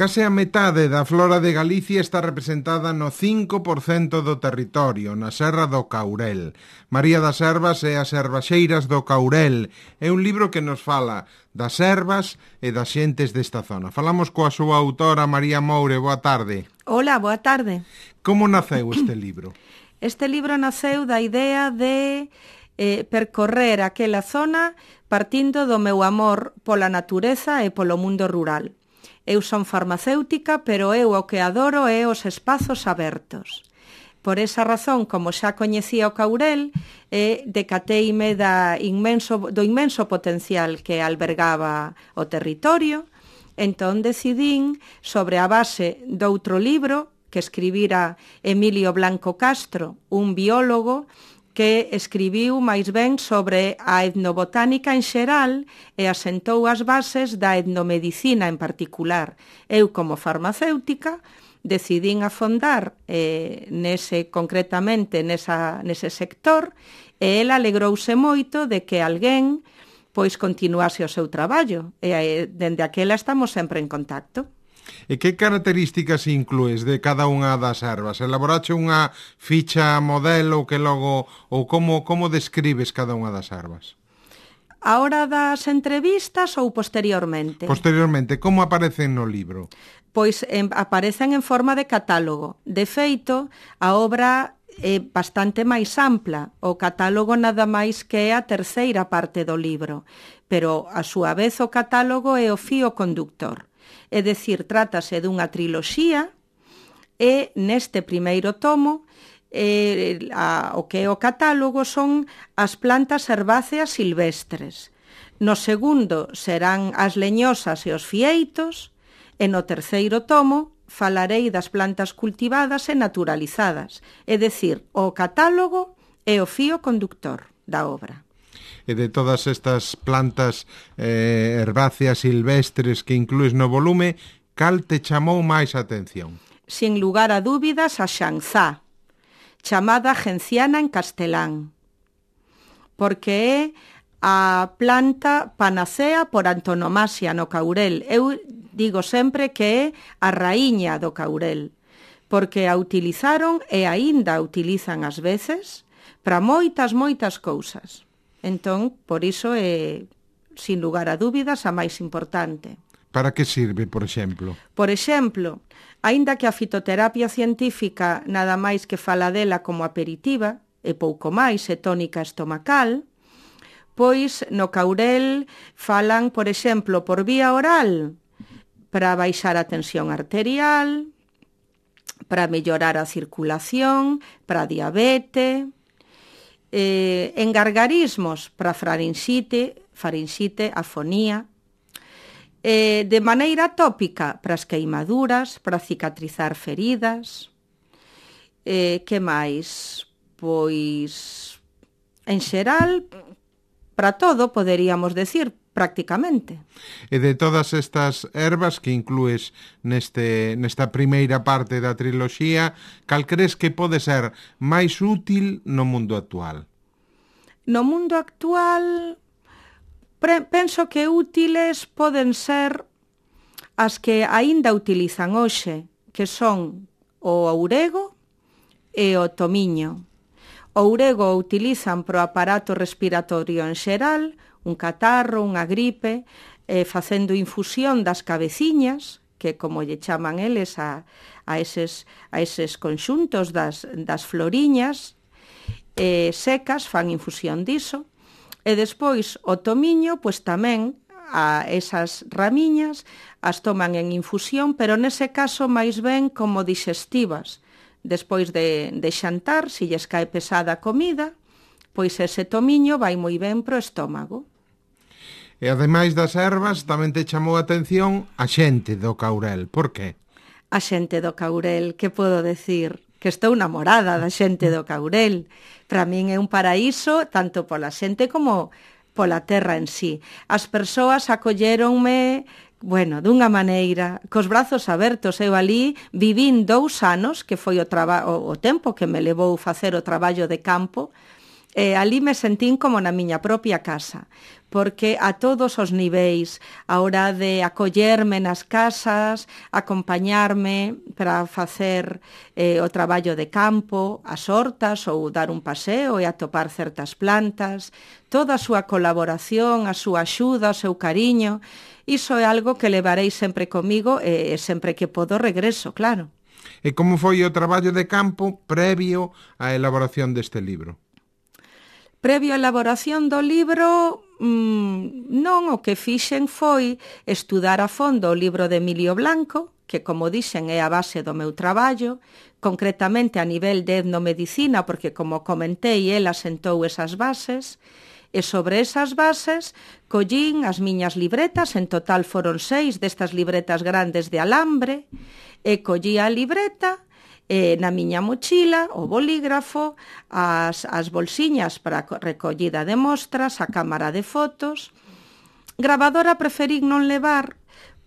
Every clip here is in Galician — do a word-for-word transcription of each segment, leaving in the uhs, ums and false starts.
Case a metade da flora de Galicia está representada no cinco por cento do territorio, na Serra do Caurel. María das Servas e as Servaxeiras do Caurel é un libro que nos fala das servas e das xentes desta zona. Falamos coa súa autora, María Moure. Boa tarde. Hola, boa tarde. Como naceu este libro? Este libro naceu da idea de eh, percorrer aquela zona partindo do meu amor pola natureza e polo mundo rural. Eu son farmacéutica, pero eu o que adoro é os espazos abertos. Por esa razón, como xa coñecía o Caurel, eh, decateime da inmenso, do inmenso potencial que albergaba o territorio, entón decidín, sobre a base doutro libro que escribira Emilio Blanco Castro, un biólogo que escribiu máis ben sobre a etnobotánica en xeral e asentou as bases da etnomedicina en particular. Eu, como farmacéutica, decidín afondar eh, nese, concretamente nesa, nese sector, e el alegrouse moito de que alguén pois continuase o seu traballo, e eh, dende aquela estamos sempre en contacto. E que características inclues de cada unha das ervas? Elaborache unha ficha modelo que logo, ou como, como describes cada unha das ervas? A hora das entrevistas ou posteriormente? Posteriormente, como aparecen no libro? Pois en, aparecen en forma de catálogo. De feito, a obra é bastante máis ampla. O catálogo nada máis que é a terceira parte do libro, pero a súa vez o catálogo é o fío conductor. É dicir, trátase dunha triloxía e neste primeiro tomo eh, a, o que é o catálogo son as plantas herbáceas silvestres. No segundo serán as leñosas e os fieitos e no terceiro tomo falarei das plantas cultivadas e naturalizadas. É dicir, o catálogo é o fío conductor da obra. E de todas estas plantas eh, herbáceas silvestres que inclues no volume, cal te chamou máis a atención? Sin lugar a dúbidas, a xanzá, chamada genciana en castelán, porque é a planta panacea por antonomasia no Caurel. Eu digo sempre que é a raíña do Caurel, porque a utilizaron e aínda a utilizan ás veces para moitas, moitas cousas. Entón, por iso é, sin lugar a dúbidas, a máis importante. Para que sirve, por exemplo? Por exemplo, aínda que a fitoterapia científica nada máis que fala dela como aperitiva, e pouco máis, é tónica estomacal, pois no Caurel falan, por exemplo, por vía oral, para baixar a tensión arterial, para mellorar a circulación, para diabetes, eh, en gargarismos para farinxite, farinxite, afonía, eh, de maneira tópica para as queimaduras, para cicatrizar feridas, eh, que máis? Pois, en xeral, para todo, poderíamos decir, prácticamente. E de todas estas ervas que inclues neste, nesta primeira parte da triloxía, cal crees que pode ser máis útil no mundo actual? No mundo actual, pre- penso que útiles poden ser as que aínda utilizan hoxe, que son o ourego e o tomiño. O ourego o utilizan pro aparato respiratorio en xeral, un catarro, unha gripe, eh, facendo infusión das cabeciñas, que como lle chaman eles a, a, eses, a eses conxuntos das, das floriñas eh, secas, fan infusión diso, e despois o tomiño, pois tamén a esas ramiñas as toman en infusión, pero nese caso máis ben como digestivas. Despois de, de xantar, se lles cae pesada a comida, pois ese tomiño vai moi ben pro estómago. E ademais das ervas, tamén te chamou a atención a xente do Caurel. Por qué? A xente do Caurel, que podo decir? Que estou namorada da xente do Caurel. Para min é un paraíso, tanto pola xente como pola terra en sí. As persoas acolléronme, bueno, dunha maneira, cos brazos abertos. Eu ali vivín dous anos, que foi o, traba- o, o tempo que me levou facer o traballo de campo, E ali me sentín como na miña propia casa, porque a todos os niveis, a hora de acollerme nas casas, acompañarme para facer eh, o traballo de campo, as hortas ou dar un paseo e atopar certas plantas, toda a súa colaboración, a súa axuda, o seu cariño, iso é algo que levarei sempre comigo e sempre que podo regreso, claro. E como foi o traballo de campo previo á elaboración deste libro? Previo á elaboración do libro, mmm, non, o que fixen foi estudar a fondo o libro de Emilio Blanco, que, como dixen, é a base do meu traballo, concretamente a nivel de etnomedicina, porque, como comentei, el asentou esas bases, e sobre esas bases collín as miñas libretas, en total foron seis destas libretas grandes de alambre, e collí a libreta, e na miña mochila, o bolígrafo, as, as bolsiñas para recollida de mostras, a cámara de fotos. Gravadora preferín non levar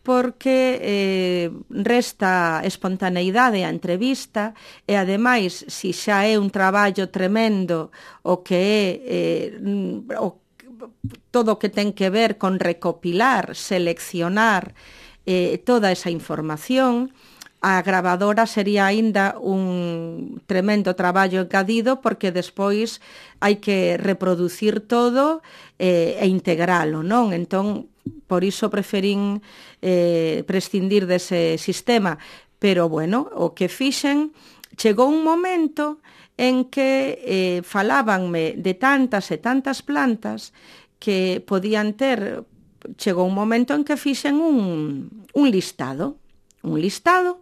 porque eh, resta espontaneidade a entrevista e, ademais, si xa é un traballo tremendo o que é eh, o, todo o que ten que ver con recopilar, seleccionar eh, toda esa información, a gravadora sería aínda un tremendo traballo engadido porque despois hai que reproducir todo eh, e integralo, non? Entón, por iso preferín eh, prescindir dese sistema. Pero, bueno, o que fixen, chegou un momento en que eh, falábanme de tantas e tantas plantas que podían ter, chegou un momento en que fixen un, un listado, un listado,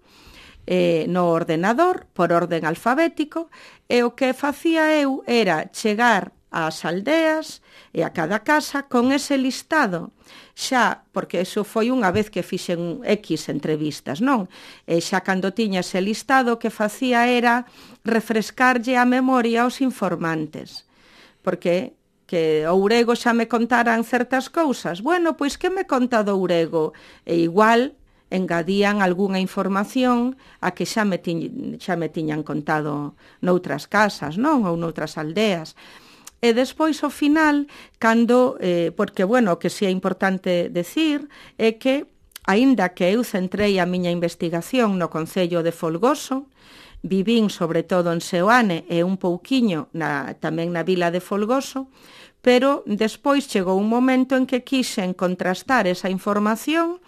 Eh, no ordenador, por orden alfabético, e o que facía eu era chegar ás aldeas e a cada casa con ese listado, xa, porque eso foi unha vez que fixen X entrevistas, non? E xa cando tiña ese listado, que facía era refrescarlle a memoria aos informantes, porque que o Ourego xa me contaran certas cousas. Bueno, pois que me conta do Ourego? E igual engadían algunha información a que xa me, ti, xa me tiñan contado noutras casas, non? Ou noutras aldeas. E despois, ao final, cando, eh, porque, bueno, o que si é importante decir é que, aínda que eu centrei a miña investigación no concello de Folgoso, vivín sobre todo en Seoane e un pouquiño na, tamén na vila de Folgoso, pero despois chegou un momento en que quixen contrastar esa información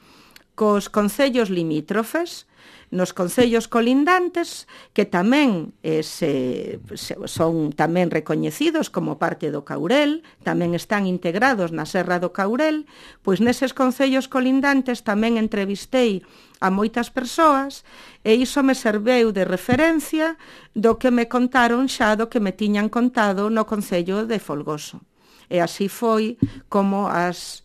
cos concellos limítrofes, nos concellos colindantes, que tamén eh, se, se, son tamén recoñecidos como parte do Caurel, tamén están integrados na Serra do Caurel, pois neses concellos colindantes tamén entrevistei a moitas persoas e iso me serveu de referencia do que me contaron xa do que me tiñan contado no concello de Folgoso. E así foi como as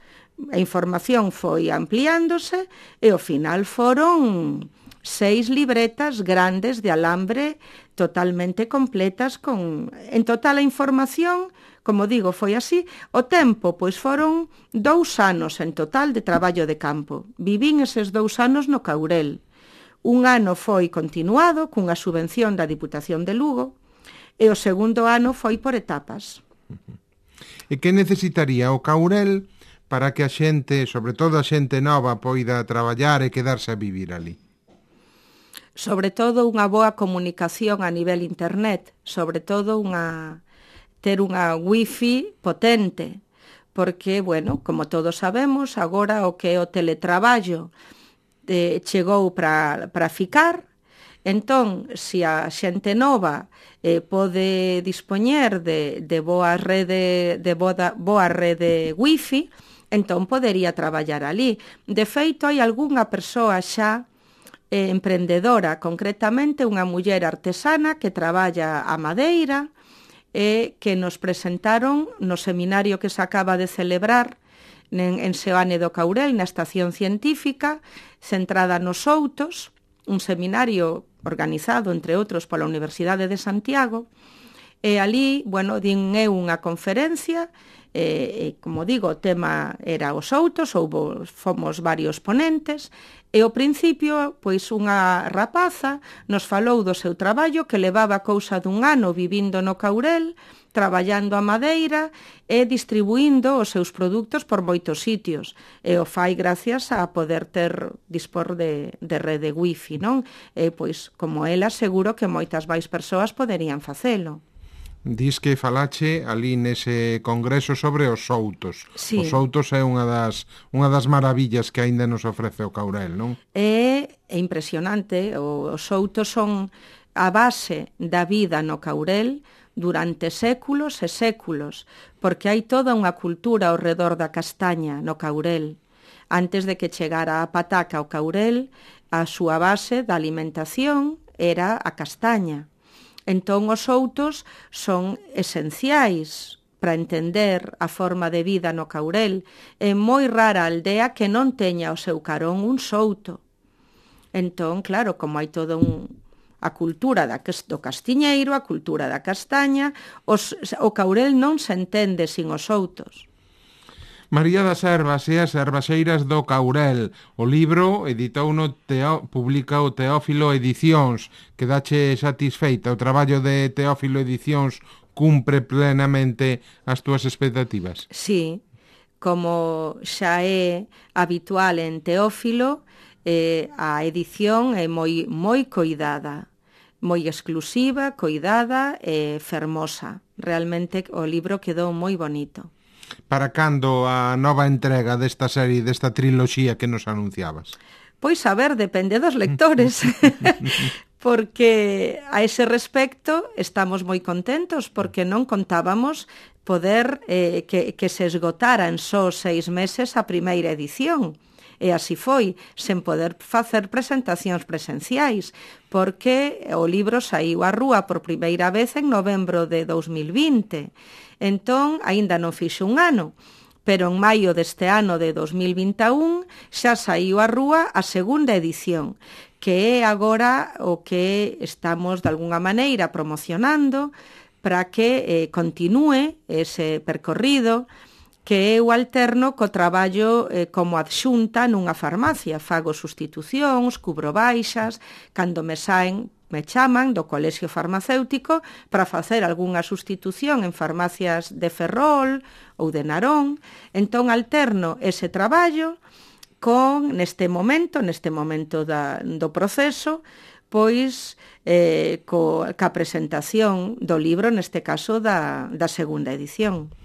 a información foi ampliándose e ao final foron seis libretas grandes de alambre totalmente completas con, en total a información, como digo, foi así. O tempo, pois foron dous anos en total de traballo de campo. Vivín eses dous anos no Caurel. Un ano foi continuado cunha subvención da Diputación de Lugo e o segundo ano foi por etapas. E que necesitaría o Caurel para que a xente, sobre todo a xente nova, poida traballar e quedarse a vivir ali? Sobre todo unha boa comunicación a nivel internet, sobre todo unha ter unha wifi potente, porque, bueno, como todos sabemos, agora o que é o teletraballo eh, chegou para para ficar. Entón, se a xente nova eh, pode dispoñer de, de boa rede de boa, boa rede wifi, entón podería traballar ali. De feito, hai algunha persoa xa eh, emprendedora, concretamente unha muller artesana que traballa a madeira e que nos presentaron no seminario que se acaba de celebrar en, en Seoane do Caurel, na estación científica, centrada nos outos, un seminario organizado, entre outros, pola Universidade de Santiago, E ali, bueno, din eu unha conferencia, e, e como digo, o tema era os outos, houbo, fomos varios ponentes, e ao principio, pois unha rapaza nos falou do seu traballo que levaba cousa dun ano vivindo no Caurel, traballando a madeira e distribuindo os seus produtos por moitos sitios. E o fai gracias a poder ter, dispor de, de rede wifi, non? E, pois, como ela, seguro que moitas máis persoas poderían facelo. Dis que falache ali nese congreso sobre os soutos. Sí. Os soutos é unha das, unha das maravillas que aínda nos ofrece o Caurel, non? É, é impresionante. Os soutos son a base da vida no Caurel durante séculos e séculos, porque hai toda unha cultura ao redor da castaña no Caurel. Antes de que chegara a pataca ao Caurel, a súa base da alimentación era a castaña. Entón, os soutos son esenciais para entender a forma de vida no Caurel. É moi rara a aldea que non teña o seu carón un souto. Entón, claro, como hai todo un... a cultura da, do castiñeiro, a cultura da castaña, os, o Caurel non se entende sin os soutos. María das Servas e as Servaxeiras do Caurel. O libro editou no Teo, publica o Teófilo Edicións. Quedache satisfeita? O traballo de Teófilo Edicións cumpre plenamente as túas expectativas? Sí, como xa é habitual en Teófilo, eh, a edición é moi, moi coidada, moi exclusiva, coidada e fermosa. Realmente o libro quedou moi bonito. Para cando a nova entrega desta serie, desta triloxía que nos anunciabas? Pois a ver, depende dos lectores. Porque a ese respecto estamos moi contentos porque non contábamos poder eh, que, que se esgotara en só seis meses a primeira edición. E así foi, sen poder facer presentacións presenciais, porque o libro saiu á rúa por primeira vez en novembro de dous mil vinte. Entón, aínda non fixo un ano, pero en maio deste ano de dous mil vinte e un xa saiu á rúa a segunda edición, que é agora o que estamos de alguna maneira promocionando para que eh, continúe ese percorrido que eu alterno co traballo eh, como adxunta nunha farmacia. Fago sustitucións, cubro baixas, cando me saen, me chaman do colexio farmacéutico para facer algunha sustitución en farmacias de Ferrol ou de Narón. Entón alterno ese traballo con, neste momento, neste momento da, do proceso, pois eh, co, ca presentación do libro, neste caso da, da segunda edición.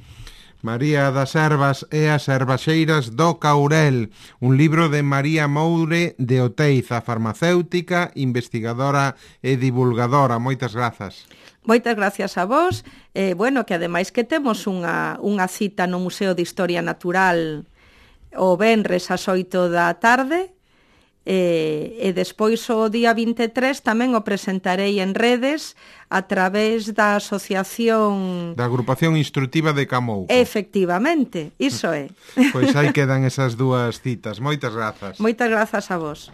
María das Servas e as Servaxeiras do Caurel, un libro de María Moure de Oteiza, farmacéutica, investigadora e divulgadora. Moitas grazas. Moitas gracias a vos. Eh, bueno, que ademais que temos unha, unha cita no Museo de Historia Natural o venres ás oito da tarde, E, e despois o día vinte e tres tamén o presentarei en redes a través da asociación... Da agrupación instructiva de Camouco. Efectivamente, iso é. Pois aí quedan esas dúas citas. Moitas grazas. Moitas grazas a vos.